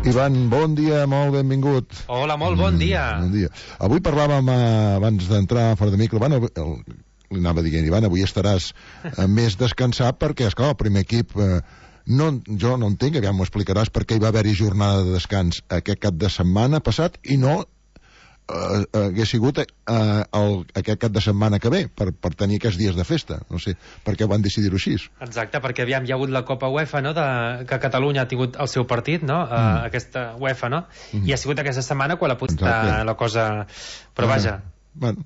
Ivan, bon dia, molt benvingut. Hola, molt bon dia. Bon dia. Avui parlàvem, abans d'entrar fora de micro, li anava dient, Ivan, avui estaràs més descansat perquè, esclar, el primer equip... jo no entenc, aviam m'ho explicaràs, per què hi va haver-hi jornada de descans aquest cap de setmana passat i no hagués sigut aquest cap de setmana que ve, per tenir aquests dies de festa. No sé per què van decidir-ho així. Exacte, perquè hi ha hagut la Copa UEFA, no?, que Catalunya ha tingut el seu partit, no?, aquesta UEFA, no?, i ha sigut aquesta setmana quan la cosa... Però vaja... Bueno...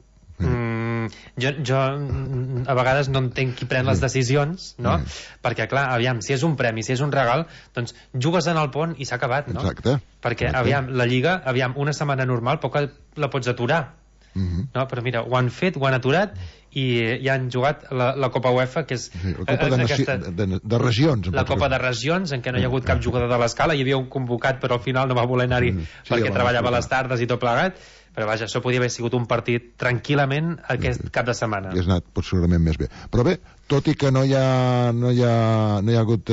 Jo a vegades no entenc qui pren les decisions, no? Perquè clar, aviam, si és un premi, si és un regal, doncs jugues en el pont i s'ha acabat, no? Exacte. Perquè aviam, la Lliga, una setmana normal poc la pots aturar, no? Però mira, ho han fet, ho han aturat i ja han jugat la Copa UEFA, que és la Copa de regions, la Copa de regions, en què no hi ha hagut cap jugador de l'escala, hi havia un convocat però al final no va voler anar-hi perquè treballava a les tardes i tot plegat. Però vaja, això podia haver sigut un partit tranquil·lament aquest cap de setmana. Hauria anat possiblement més bé. Però bé, tot i que no hi ha hagut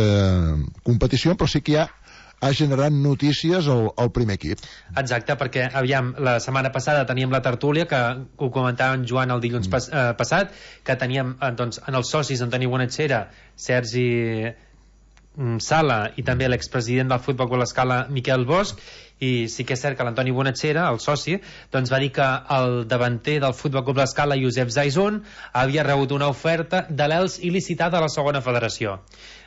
competició, però sí que ha generat notícies el primer equip. Exacte, perquè, aviam, la setmana passada teníem la tertúlia, que ho comentava en Joan el dilluns passat, que teníem, doncs, en els socis Antoni Bonachera, Sergi Sala i també l'expresident del Futbol Club L'Escala, Miquel Bosch, i sí que és cert que l'Antoni Bonachera, el soci, doncs va dir que el davanter del Futbol Club L'Escala, Josep Zaizun, havia rebut una oferta de l'ELS il·licitada a la segona federació.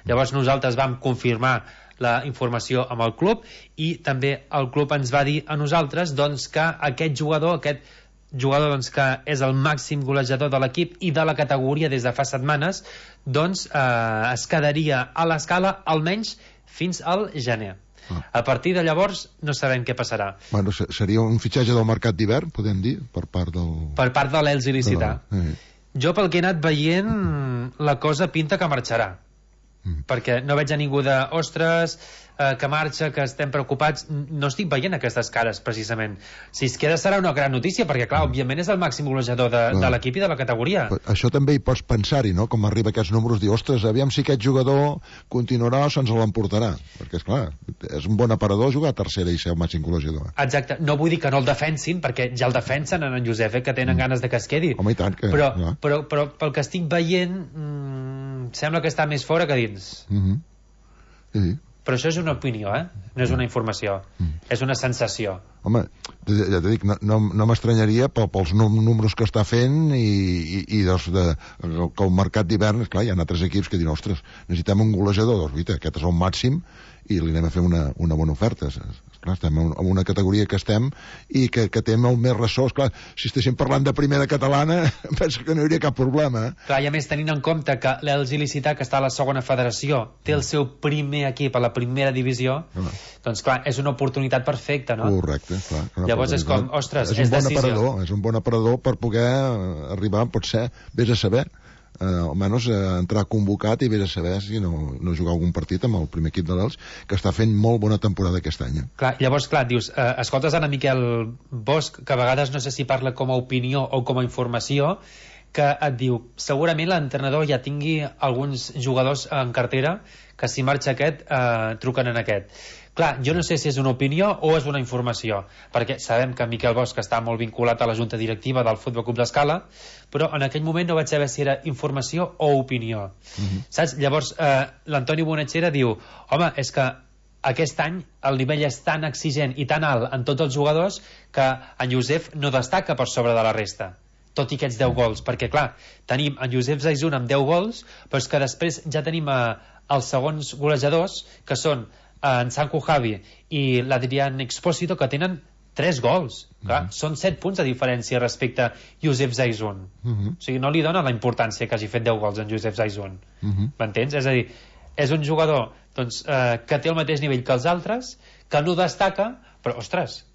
Llavors nosaltres vam confirmar la informació amb el club i també el club ens va dir a nosaltres doncs, que aquest jugador doncs, que és el màxim golejador de l'equip i de la categoria des de fa setmanes, doncs es quedaria a l'Escala almenys fins al gener. A partir de llavors no sabem què passarà. Bueno, seria un fitxatge del mercat d'hivern, podem dir, per part de l'ELS il·licitar. Jo pel que he anat veient la cosa pinta que marxarà, perquè no veig a ningú de ostres, que marxa, que estem preocupats. No estic veient aquestes cares precisament. Si es queda serà una gran notícia, perquè clar, òbviament és el màxim golejador de l'equip i de la categoria. Això també hi pots pensar-hi, no? Com arriba aquests números, dir, ostres, aviam si aquest jugador continuarà o se'ns l'emportarà, perquè esclar, és un bon aparador jugar a tercera i ser el màxim golejador. Exacte, no vull dir que no el defensin, perquè ja el defensen en Josep, que tenen ganes de que es quedi. Home, i tant que... Però pel que estic veient sembla que està més fora que dins. Sí. Però això és una opinió, no és una informació, és una sensació. Home, ja t'he dit, no m'estranyaria pels números que està fent i que el mercat d'hivern, esclar, hi ha altres equips que diuen, ostres, necessitem un golejador, doncs, guita, aquest és el màxim i li anem a fer una bona oferta. Esclar, estem en una categoria que estem i que té molt més ressò. Esclar, si estéssim parlant de primera catalana, penso que no hi hauria cap problema. Clar, i a més, tenint en compte que l'ELS il·licitar, que està a la segona federació, té el seu primer equip a la primera divisió, doncs clar, és una oportunitat perfecta, no? Correcte, clar. Llavors és com, ostres, és decisió. És un bon aparador per poder arribar, potser, vés a saber, almenys entrar convocat i vés a saber si no jugar algun partit amb el primer equip de l'ELS, que està fent molt bona temporada aquest any. Clar, llavors, clar, dius, escoltes ara Miquel Bosch, que a vegades no sé si parla com a opinió o com a informació, que et diu, segurament l'entrenador ja tingui alguns jugadors en cartera que si marxa aquest, truquen en aquest. Clar, jo no sé si és una opinió o és una informació, perquè sabem que Miquel Bosch està molt vinculat a la junta directiva del Futbol Club L'Escala, però en aquell moment no vaig saber si era informació o opinió. Saps? Llavors, l'Antoni Bonachera diu, home, és que aquest any el nivell és tan exigent i tan alt en tots els jugadors que en Josep no destaca per sobre de la resta, tot i aquests 10 gols, perquè clar, tenim en Josep Zaizun amb 10 gols, però és que després ja tenim els segons golejadors, que són en Sanku Javi i l'Adrián Expósito, que tenen 3 gols. Clar, són 7 punts de diferència respecte a Josep Zaizun. O sigui, no li dona la importància que hagi fet 10 gols en Josep Zaizun. M'entens? És a dir, és un jugador doncs, que té el mateix nivell que els altres, que no destaca, però, ostres,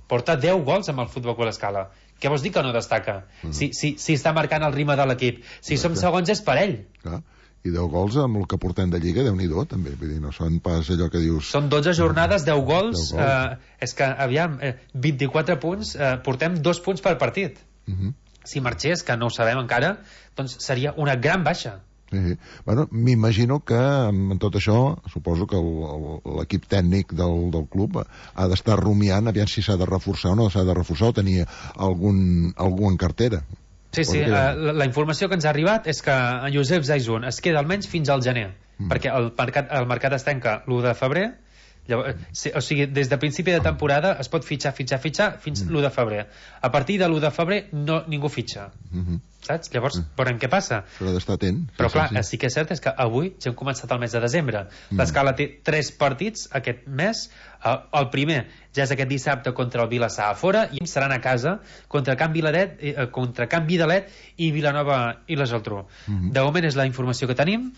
porta 10 gols amb el Futbol Club L'Escala. Què vols dir que no destaca? Si està marcant el ritme de l'equip. Si som segons és per ell. Clar. I 10 gols amb el que portem de Lliga, Déu-n'hi-do, també. Vull dir, no són pas allò que dius... Són 12 jornades, 10 gols. És que, aviam, 24 punts, portem 2 punts per partit. Si marxés, que no ho sabem encara, doncs seria una gran baixa. Sí. Bueno, m'imagino que en tot això, suposo que l'equip tècnic del club ha d'estar rumiant aviam si s'ha de reforçar o no s'ha de reforçar o tenir algú en cartera. Sí, la informació que ens ha arribat és que en Josep Zaizun es queda almenys fins al gener, perquè el mercat es tanca l'1 de febrer. Llavors, o sigui, des de principi de temporada es pot fitxar fins l'1 de febrer. A partir de l'1 de febrer ningú fitxa. Saps? Llavors, veurem què passa. Però d'estar atent. Però clar, sí que és cert és que avui ja hem començat el mes de desembre. L'Escala té 3 partits aquest mes. El primer ja és aquest dissabte contra el Vilassar a fora i seran a casa contra Can Vidalet i Vilanova i la Geltrú. De moment és la informació que tenim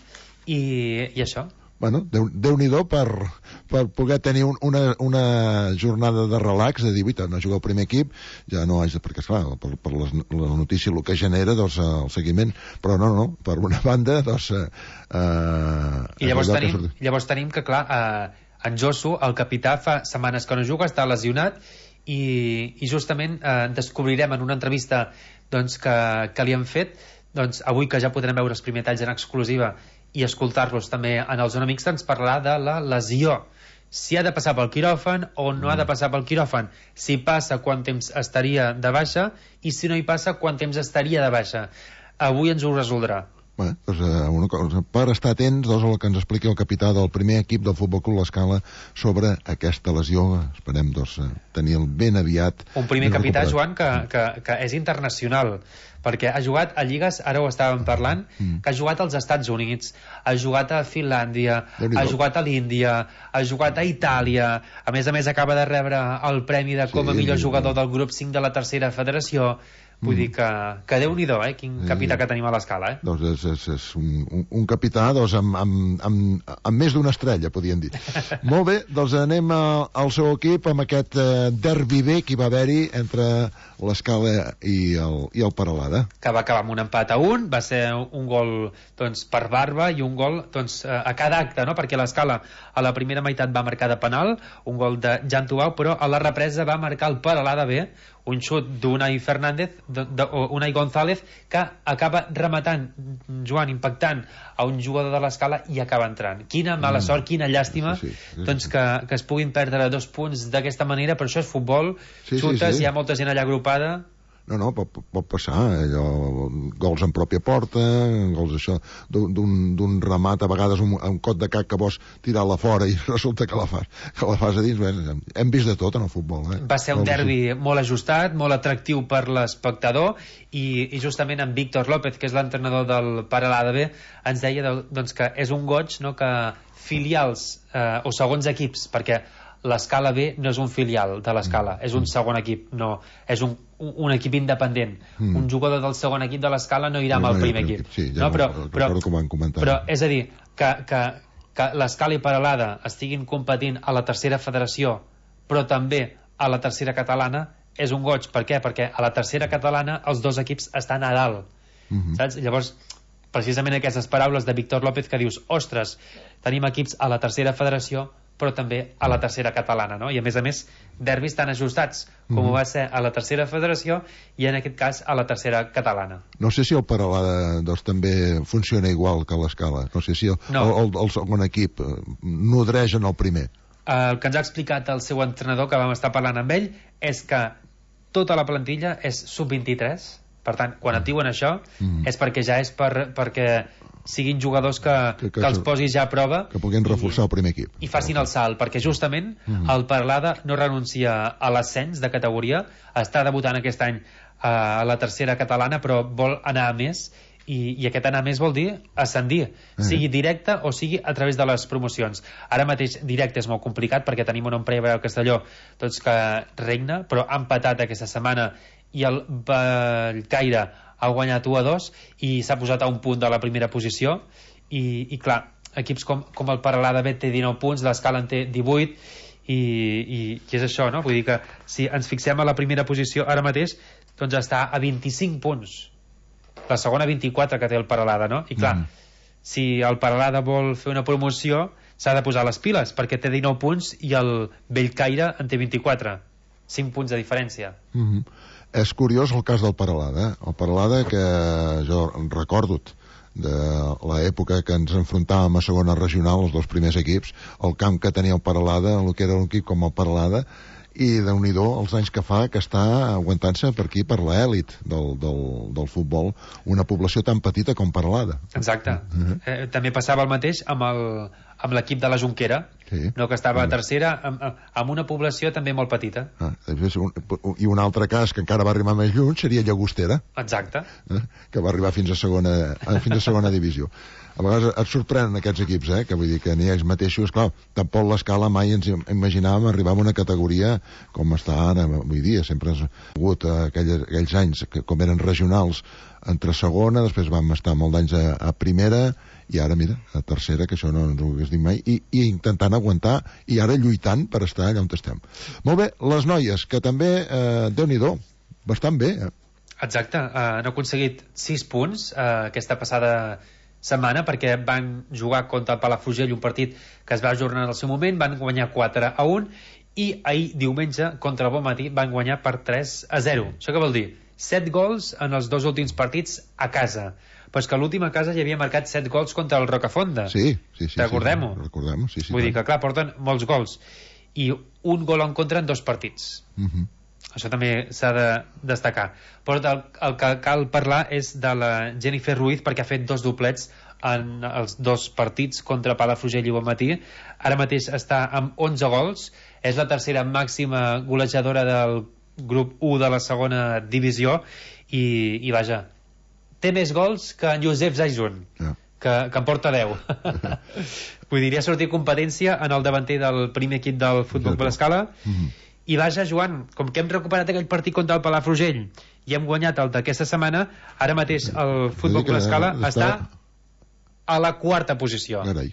i això. Bueno, Déu-n'hi-do per poder tenir una jornada de relax, de dir, no jugar al primer equip, ja no haig de, perquè esclar, per la notícia el que genera, doncs, el seguiment, però no, per una banda, doncs... I llavors tenim que, clar, en Josu, el capità, fa setmanes que no juga, està lesionat, i justament descobrirem en una entrevista doncs, que li han fet, doncs, avui que ja podrem veure els primers talls en exclusiva i escoltar-los també en el Zona Mixta, ens parlarà de la lesió, si ha de passar pel quiròfan o no ha de passar pel quiròfan, si passa quant temps estaria de baixa i si no hi passa quant temps estaria de baixa. Avui ens ho resoldrà. Bé, doncs, una cosa, per estar atents, doncs, el que ens expliqui el capità del primer equip del Futbol Club L'Escala sobre aquesta lesió. Esperem, doncs, tenir-el ben aviat. Un primer capità, Joan, que és internacional, perquè ha jugat a lligues, ara ho estàvem parlant, que ha jugat als Estats Units, ha jugat a Finlàndia, ha jugat a l'Índia, ha jugat a Itàlia, a més acaba de rebre el premi de com a millor jugador del grup 5 de la tercera federació. Vull dir que Déu-n'hi-do, quin capità que tenim a l'Escala, Doncs és un capità, doncs, amb més d'una estrella, podríem dir. Molt bé, doncs anem al seu equip amb aquest derbi bé que hi va haver-hi entre l'Escala i el Peralada. Que va acabar amb un empat a 1, va ser un gol doncs, per Barba i un gol doncs, a cada acte, no? Perquè l'Escala a la primera meitat va marcar de penal, un gol de Jan Tubau, però a la represa va marcar el Peralada bé, un xut d'Unai Fernández, Unai González, que acaba rematant, Joan, impactant a un jugador de l'Escala i acaba entrant. Quina mala sort, quina llàstima, doncs que es puguin perdre 2 punts d'aquesta manera, però això és futbol, xutes, hi ha molta gent allà agrupada. No, pot passar, gols en pròpia porta, gols això, d'un remat, a vegades un cot de cac que vols tirar-la fora i resulta que la fas a dins. Bé, hem vist de tot en el futbol. Va ser un derbi molt ajustat, molt atractiu per l'espectador, i justament en Víctor López, que és l'entrenador del Peralada B, ens deia doncs, que és un goig, no?, que filials o segons equips, perquè l'Escala B no és un filial de l'Escala, és un segon equip, no, és un equip independent. Un jugador del segon equip de l'Escala no irà amb el primer equip. Sí, ja recordo que ho van comentar. Però és a dir, que l'Escala i Peralada estiguin competint a la tercera federació, però també a la tercera catalana, és un goig. Per què? Perquè a la tercera catalana els 2 equips estan a dalt. Saps? Llavors, precisament aquestes paraules de Víctor López que dius, ostres, tenim equips a la tercera federació però també a la tercera catalana, no? I a més derbis tan ajustats com ho va ser a la tercera federació i en aquest cas a la tercera catalana. No sé si el Peralada doncs, també funciona igual que l'Escala, no sé si el segon equip nodreix en el primer. El que ens ha explicat el seu entrenador, que vam estar parlant amb ell, és que tota la plantilla és sub-23, per tant, quan et diuen això és perquè ja és perquè siguin jugadors que els posis ja a prova, que puguin reforçar el primer equip i facin el salt, perquè justament el Peralada no renuncia a l'ascens de categoria, està debutant aquest any a la tercera catalana, però vol anar a més, i aquest anar a més vol dir ascendir, sigui directe o sigui a través de les promocions. Ara mateix directe és molt complicat perquè tenim un Empresa al Castelló doncs, que regna, però ha empatat aquesta setmana i el Bellcaire ha guanyat 1-2 i s'ha posat a un punt de la primera posició i clar, equips com el Peralada B té 19 punts, l'Escala en té 18 i és això, no? Vull dir que si ens fixem a la primera posició ara mateix, doncs està a 25 punts, la segona 24 que té el Peralada, no? I clar, si el Peralada vol fer una promoció s'ha de posar les piles, perquè té 19 punts i el Bellcaire en té 24, 5 punts de diferència. És curiós el cas del Peralada. El Peralada, que jo recordo de l'època que ens enfrontàvem a segona regional, els dos primers equips, el camp que tenia el Peralada, el que era un equip com el Peralada, i Déu-n'hi-do els anys que fa que està aguantant-se per aquí, per l'èlit del futbol, una població tan petita com Peralada. Exacte. També passava el mateix amb l'equip de la Jonquera, sí, no, que estava a tercera, amb una població també molt petita. I un altre cas que encara va arribar més lluny seria Llagostera. Exacte. Que va arribar fins a segona divisió. A vegades et sorprenen aquests equips, que vull dir que ni ells mateixos, clar, tampoc l'escala mai ens imaginàvem arribar a una categoria com està ara, avui dia. Sempre ha hagut aquells anys que com eren regionals entre segona, després vam estar molt d'anys a primera, i ara, mira, a tercera, que això no ens ho hagués dit mai, i intentant aguantar, i ara lluitant per estar allà on estem. Molt bé, les noies, que també, Déu-n'hi-do, bastant bé. Exacte, han aconseguit 6 punts aquesta passada setmana, perquè van jugar contra el Palafrugell, un partit que es va ajornar en el seu moment, van guanyar 4-1, i ahir, diumenge, contra el Bonmatí, van guanyar per 3-0. Això què vol dir? 7 gols en els 2 últims partits a casa. Però és que l'últim a casa ja havia marcat 7 gols contra el Rocafonda. Sí. Recordem-ho? Recordem-ho, sí. Vull dir que, clar, porten molts gols. I un gol en contra en 2 partits. Això també s'ha de destacar. Però el que cal parlar és de la Jennifer Ruiz, perquè ha fet 2 doblets en els 2 partits contra Palafrugell i Bonmatí. Ara mateix està amb 11 gols, és la tercera màxima golejadora del grup 1 de la segona divisió, i vaja, té més gols que en Josep Zaizun, que en porta 10. Vull dir, ha sortit competència en el davanter del primer equip del Futbol Blascala. I vaja, Joan, com que hem recuperat aquell partit contra el Palafrugell i hem guanyat el d'aquesta setmana, ara mateix el Futbol Blascala està a la 4a posició. Carai.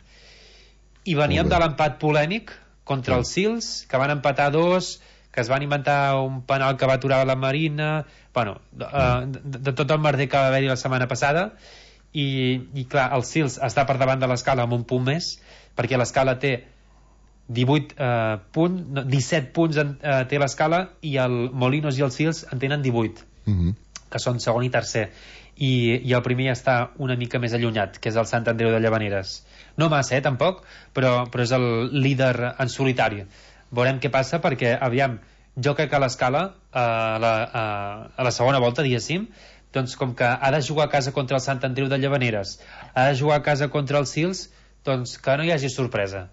I veníem de l'empat polèmic contra els Sils, que van empatar 2, que es van inventar un penal que va aturar la Marina, bueno, de tot el merder que va haver-hi la setmana passada, i clar, el Sils està per davant de l'Escala amb un punt més, perquè l'Escala té 17 punts té l'Escala, i el Molinos i el Sils en tenen 18, que són segon i tercer, i el primer ja està una mica més allunyat, que és el Sant Andreu de Llavaneres. No massa, tampoc, però és el líder en solitari. Veurem què passa, perquè, aviam, jo crec que l'Escala a la segona volta, diguéssim, doncs com que ha de jugar a casa contra el Sant Andreu de Llavaneres, ha de jugar a casa contra els Sils, doncs que no hi hagi sorpresa.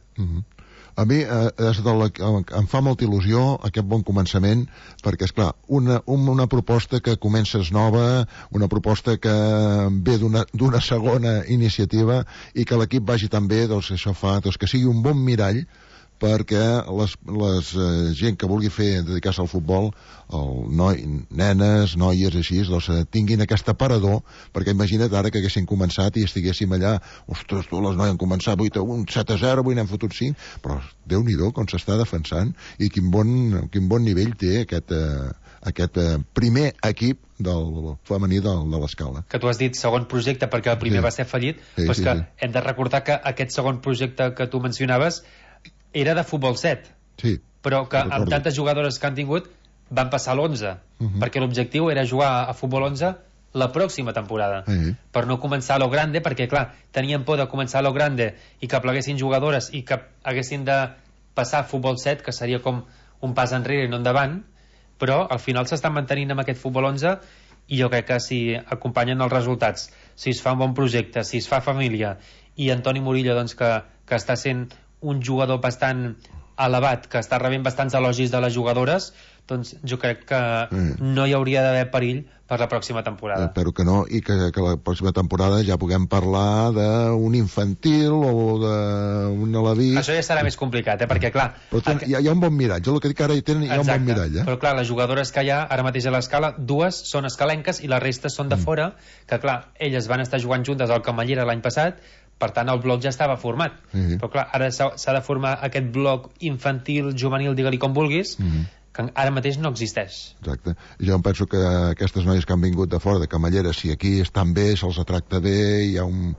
A mi em fa molta il·lusió aquest bon començament, perquè, esclar, una proposta que comences nova, una proposta que ve d'una segona iniciativa, i que l'equip vagi tan bé, doncs això fa que sigui un bon mirall perquè les gent que vulgui dedicar-se al futbol, nenes, noies, així, doncs tinguin aquest aparador, perquè imagina't ara que haguessin començat i estiguéssim allà, ostres, les noies han començat 8-1, 7-0, avui n'hem fotut 5, però Déu-n'hi-do com s'està defensant, i quin bon nivell té aquest primer equip del femení de l'Escala. Que tu has dit segon projecte perquè el primer va ser fallit, però és que hem de recordar que aquest segon projecte que tu mencionaves era de futbol 7, però que amb tantes jugadores que han tingut van passar a l'11, perquè l'objectiu era jugar a futbol 11 la pròxima temporada, per no començar a lo grande, perquè clar, tenien por de començar a lo grande i que pleguessin jugadores i que haguessin de passar a futbol 7, que seria com un pas enrere i no endavant, però al final s'estan mantenint amb aquest futbol 11, i jo crec que si acompanyen els resultats, si es fa un bon projecte, si es fa família, i Antoni Murillo, doncs, que està sent un jugador bastant elevat, que està rebent bastants elogis de les jugadores, doncs jo crec que no hi hauria d'haver perill per la pròxima temporada. Espero que no, i que la pròxima temporada ja puguem parlar d'un infantil o d'un alaví. Això ja serà més complicat, perquè clar... Però hi ha un bon miratge, el que dic ara hi ha un bon mirall. Però clar, les jugadores que hi ha ara mateix a l'Escala, 2 són escalenques i les restes són de fora, que clar, elles van estar jugant juntes al Camallera l'any passat, per tant el bloc ja estava format, però clar, ara s'ha de formar aquest bloc infantil, juvenil, digue-li com vulguis, que ara mateix no existeix. Exacte. Jo em penso que aquestes noies que han vingut de fora, de Camallera, si aquí estan bé, se'ls tracta bé, hi ha un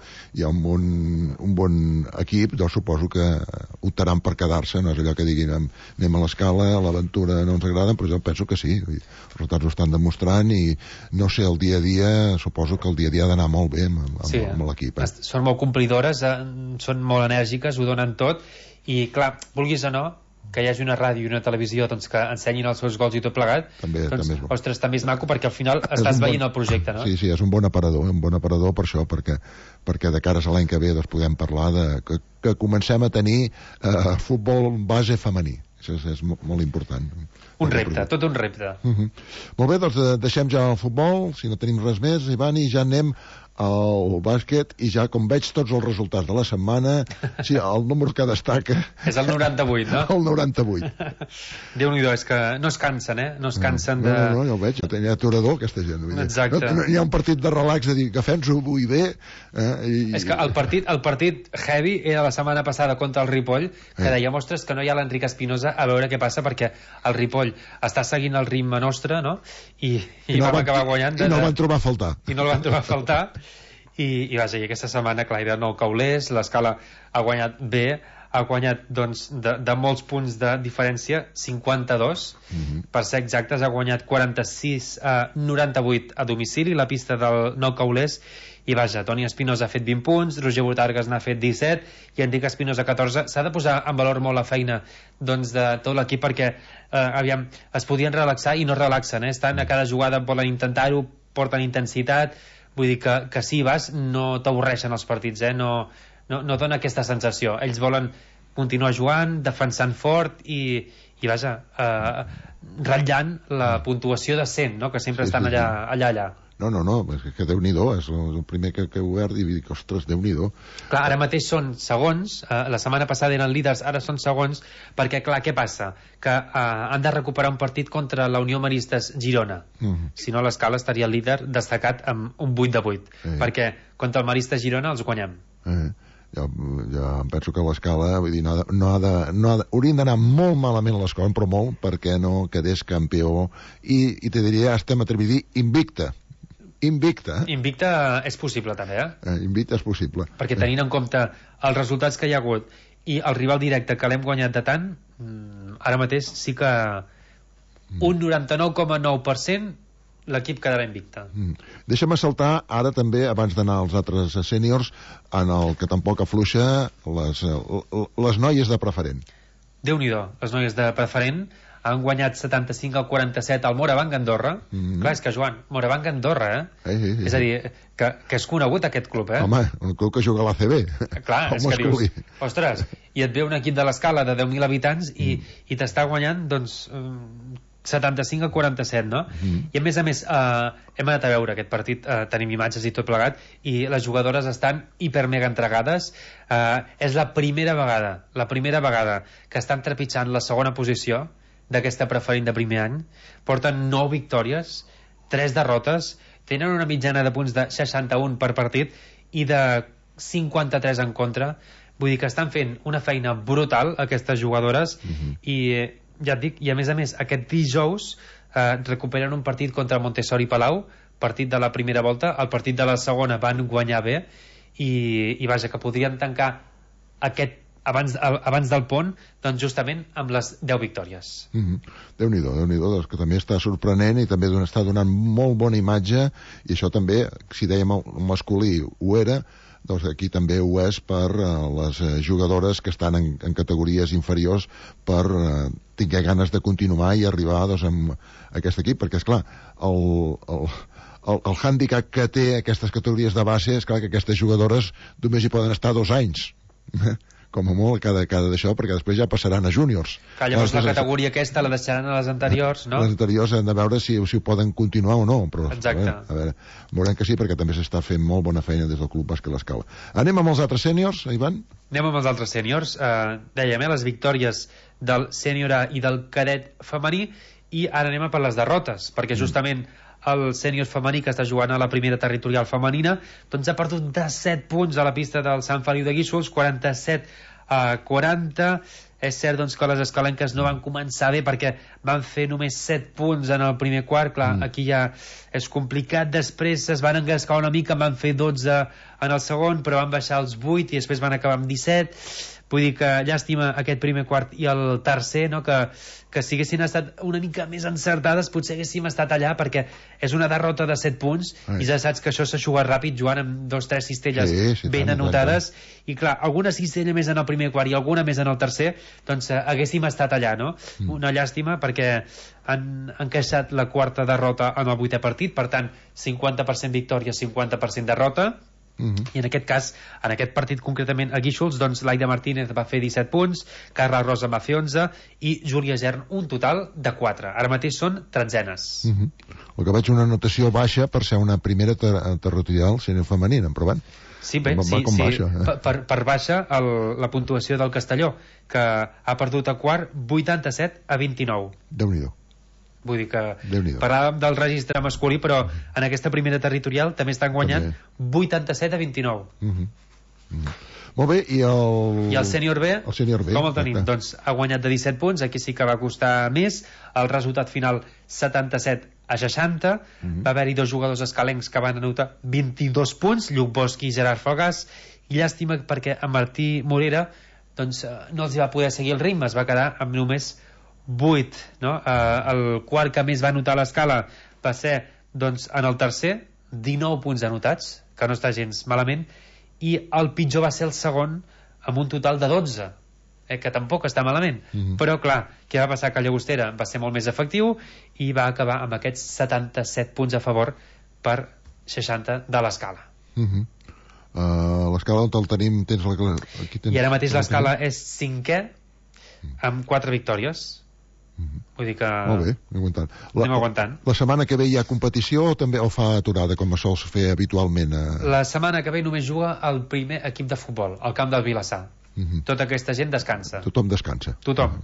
bon equip, doncs suposo que optaran per quedar-se, no és allò que diguin anem a l'escala, a l'aventura no ens agrada, però jo penso que sí, els resultats ho estan demostrant i no sé, el dia a dia, suposo que el dia a dia ha d'anar molt bé amb l'equip. Són molt complidores, són molt enèrgiques, ho donen tot, i clar, vulguis o no, que hi hagi una ràdio i una televisió doncs, que ensenyin els seus gols i tot plegat, també és maco perquè al final estàs veient el projecte, no? Sí, és un bon aparador per això, perquè de cares a l'any que ve doncs, podem parlar que comencem a tenir futbol base femení. Això és molt important. Tot un repte. Molt bé, doncs deixem ja el futbol, si no tenim res més, Ivan, i ja anem al bàsquet, i ja com veig tots els resultats de la setmana, sí, el número que destaca és el 98, no? El 98. Déu-n'hi-do, és que no es cansen, no es cansen de... No, ja ho veig, ja tenia aturador aquesta gent. Exacte. No, hi ha un partit de relax de dir, agafem-s'ho avui bé... És que el partit heavy era la setmana passada contra el Ripoll, que deia, ostres, que no hi ha l'Enric Espinosa, a veure què passa, perquè el Ripoll està seguint el ritme nostre, no? I vam acabar guanyant... I no el van trobar a faltar. I no el van trobar a faltar. I vaja, i aquesta setmana, clar, hi ha nou caulers, l'Escala ha guanyat bé, ha guanyat doncs, de molts punts de diferència, 52, per ser exactes, ha guanyat 46-98 a domicili, la pista del nou caulers, i vaja, Toni Espinosa ha fet 20 punts, Roger Botargas n'ha fet 17 i Enric Espinosa 14. S'ha de posar en valor molt la feina doncs, de tot l'equip perquè aviam, es podien relaxar i no relaxen, estan a cada jugada, volen intentar-ho, porten intensitat, vull dir que si vas no t'avorreixen els partits, no dona aquesta sensació. Ells volen continuar jugant, defensant fort i vaja, ratllant la puntuació de 100, no? Que sempre estan allà. No, és que Déu-n'hi-do, és el primer que he obert i dic, ostres, Déu-n'hi-do. Clar, ara mateix són segons, la setmana passada eren líders, ara són segons, perquè, clar, què passa? Que han de recuperar un partit contra la Unió Maristes Girona. Si no, l'Escala estaria líder destacat amb un 8-8, perquè contra el Maristes Girona els guanyem. Ja em penso que l'Escala, vull dir, haurien d'anar molt malament a l'Escala, però molt, perquè no quedés campió, i te diria, estem atrevit a dir, invicta és possible també, invicta és possible, perquè tenint en compte els resultats que hi ha hagut i el rival directe que l'hem guanyat de tant, ara mateix sí que un 99,9% l'equip quedarà invicta. Deixa'm saltar ara també, abans d'anar als altres sèniors, en el que tampoc afluixa, les noies de preferent. Déu-n'hi-do, les noies de preferent han guanyat 75-47 al Morabanc Andorra. Clar, és que, Joan, Morabanc Andorra, Sí. És a dir, que és conegut aquest club, Home, un club que juga a l'ACB. Clar, és que dius, ostres, i et ve un equip de l'Escala de 10.000 habitants i t'està guanyant, doncs, 75-47, no? I a més, hem anat a veure aquest partit, tenim imatges i tot plegat, i les jugadores estan hiper-mega entregades. És la primera vegada que estan trepitjant la segona posició d'aquesta preferent de primer any. Porten 9 victòries, 3 derrotes, tenen una mitjana de punts de 61 per partit i de 53 en contra. Vull dir que estan fent una feina brutal aquestes jugadores i ja et dic, i a més, aquest dijous recuperen un partit contra Montessori Palau, partit de la primera volta, el partit de la segona van guanyar bé i vaja, que podrien tancar aquest abans del pont, doncs justament amb les 10 victòries. Déu-n'hi-do, doncs, que també està sorprenent i també està donant molt bona imatge, i això també, si dèiem el masculí ho era, doncs aquí també ho és per les jugadores que estan en categories inferiors per tinguer ganes de continuar i arribar doncs, amb aquest equip, perquè esclar, el hàndicap que té aquestes categories de base és clar que aquestes jugadores només hi poden estar 2 anys com a molt cada d'això, perquè després ja passaran a júniors. Llavors la categoria aquesta la deixaran a les anteriors, no? Les anteriors hem de veure si ho poden continuar o no, però exacte. A veure, veurem que sí, perquè també s'està fent molt bona feina des del Club Bàsquet l'Escala. Anem amb els altres sèniors, Ivan? Anem amb els altres sèniors. Dèiem, les victòries del sènior A i del cadet femení, i ara anem a per les derrotes, perquè justament el sènior femení, que està jugant a la primera territorial femenina, doncs ha perdut de 7 punts a la pista del Sant Feliu de Guíxols, 47-40. És cert doncs, que les escalenques no van començar bé perquè van fer només 7 punts en el primer quart. Clar, aquí ja és complicat. Després es van engascar una mica, van fer 12 en el segon, però van baixar els 8 i després van acabar amb 17. Vull dir que llàstima aquest primer quart i el tercer, no? Que si haguessin estat una mica més encertades potser haguéssim estat allà, perquè és una derrota de 7 punts i ja saps que això s'aixuga ràpid jugant amb 2 o 3 cistelles ben anotades, i clar, alguna cistella més en el primer quart i alguna més en el tercer, doncs haguéssim estat allà, no? Una llàstima perquè han encaixat la quarta derrota en el 8è partit, per tant 50% victòria, 50% derrota. I en aquest cas, en aquest partit concretament a Guíxols, doncs l'Aida Martínez va fer 17 punts, Carla Rosa va fer 11 i Júlia Gern un total de 4. Ara mateix són tretzenes. El que veig una anotació baixa per ser una primera territorial sènior femenina, em provant? Sí, bé, sí. Baixa, per baixa la puntuació del Castelló, que ha perdut a quart 87-29. Déu-n'hi-do. Vull dir que parlàvem del registre masculí, però en aquesta primera territorial també estan guanyant 87-29. Molt bé, i el sènior B, com el tenim? Doncs ha guanyat de 17 punts, aquí sí que va costar més, el resultat final 77-60, va haver-hi 2 jugadors escalencs que van anotar 22 punts, Lluc Bosch i Gerard Fogàs, i llàstima perquè a Martí Morera doncs, no els va poder seguir el ritme, es va quedar amb només 8, no? El quart que més va anotar a l'escala va ser doncs, en el tercer, 19 punts anotats, que no està gens malament, i el pitjor va ser el segon amb un total de 12, que tampoc està malament. Però clar, què va passar? Que Llagostera va ser molt més efectiu i va acabar amb aquests 77 punts a favor per 60 de l'escala. L'escala on el tenim? I ara mateix l'escala és 5è amb 4 victòries. Vull dir que molt bé, anem aguantant. La setmana que ve hi ha competició o fa aturada com es sol fer habitualment? La setmana que ve només juga el primer equip de futbol al camp del Vilassar. Tota aquesta gent descansa. Tothom descansa. Tothom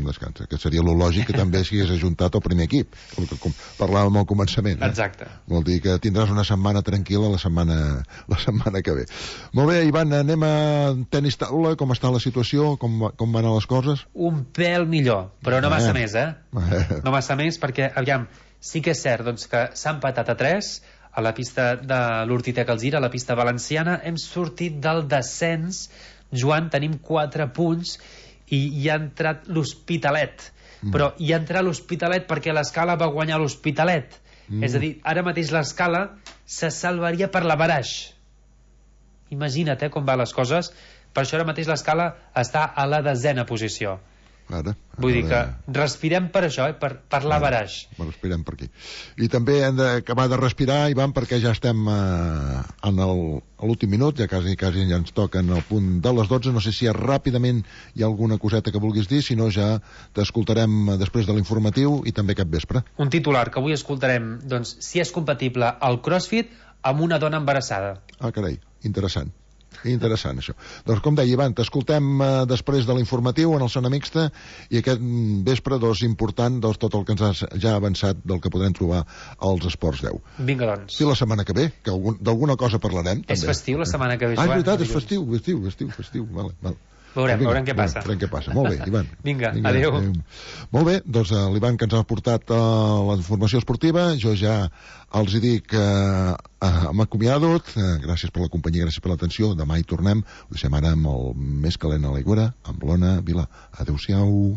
descansa, que seria lo lògic que també s'hagués ajuntat al primer equip, com parlàvem al començament. Exacte. Vol dir que tindràs una setmana tranquil·la la setmana que ve. Molt bé, Ivan, anem a tenis taula. Com està la situació? Com van anar les coses? Un pèl millor, però no massa més, no massa més, perquè, aviam, sí que és cert doncs, que s'ha empatat a 3 a la pista de l'Hortitec Alzira, a la pista valenciana. Hem sortit del descens, Joan, tenim 4 punts i hi ha entrat l'Hospitalet, però hi ha entrat l'Hospitalet perquè l'escala va guanyar l'Hospitalet, és a dir, ara mateix l'escala se salvaria per la Baraix. Imagina't com van les coses. Per això ara mateix l'escala està a la 10ª posició. Vull dir que respirem per això, per la Baraix. Respirem per aquí. I també hem d'acabar de respirar, Ivan, perquè ja estem a l'últim minut, ja quasi ja ens toquen el punt de les 12. No sé si ràpidament hi ha alguna coseta que vulguis dir, si no ja t'escoltarem després de l'informatiu i també cap vespre. Un titular que avui escoltarem, doncs, si és compatible el CrossFit amb una dona embarassada. Carai, interessant, això. Doncs com deia, Ivan, t'escoltem després de l'informatiu en el Zona Mixta, i aquest vespre important tot el que ens has ja avançat del que podrem trobar als Esports 10. Vinga, doncs. Sí, la setmana que ve, que d'alguna cosa parlarem. És també festiu la setmana que ve, Joan. És veritat, és festiu. Vale. Veurem què passa. Molt bé, Ivan. Vinga, adéu. Molt bé, doncs l'Ivan que ens ha portat la informació esportiva, jo ja els hi dic m'acomiado, gràcies per la companyia, gràcies per l'atenció, demà hi tornem, ho deixem ara amb el més calent a l'aigüera, amb l'Ona Vila. Adéu-siau.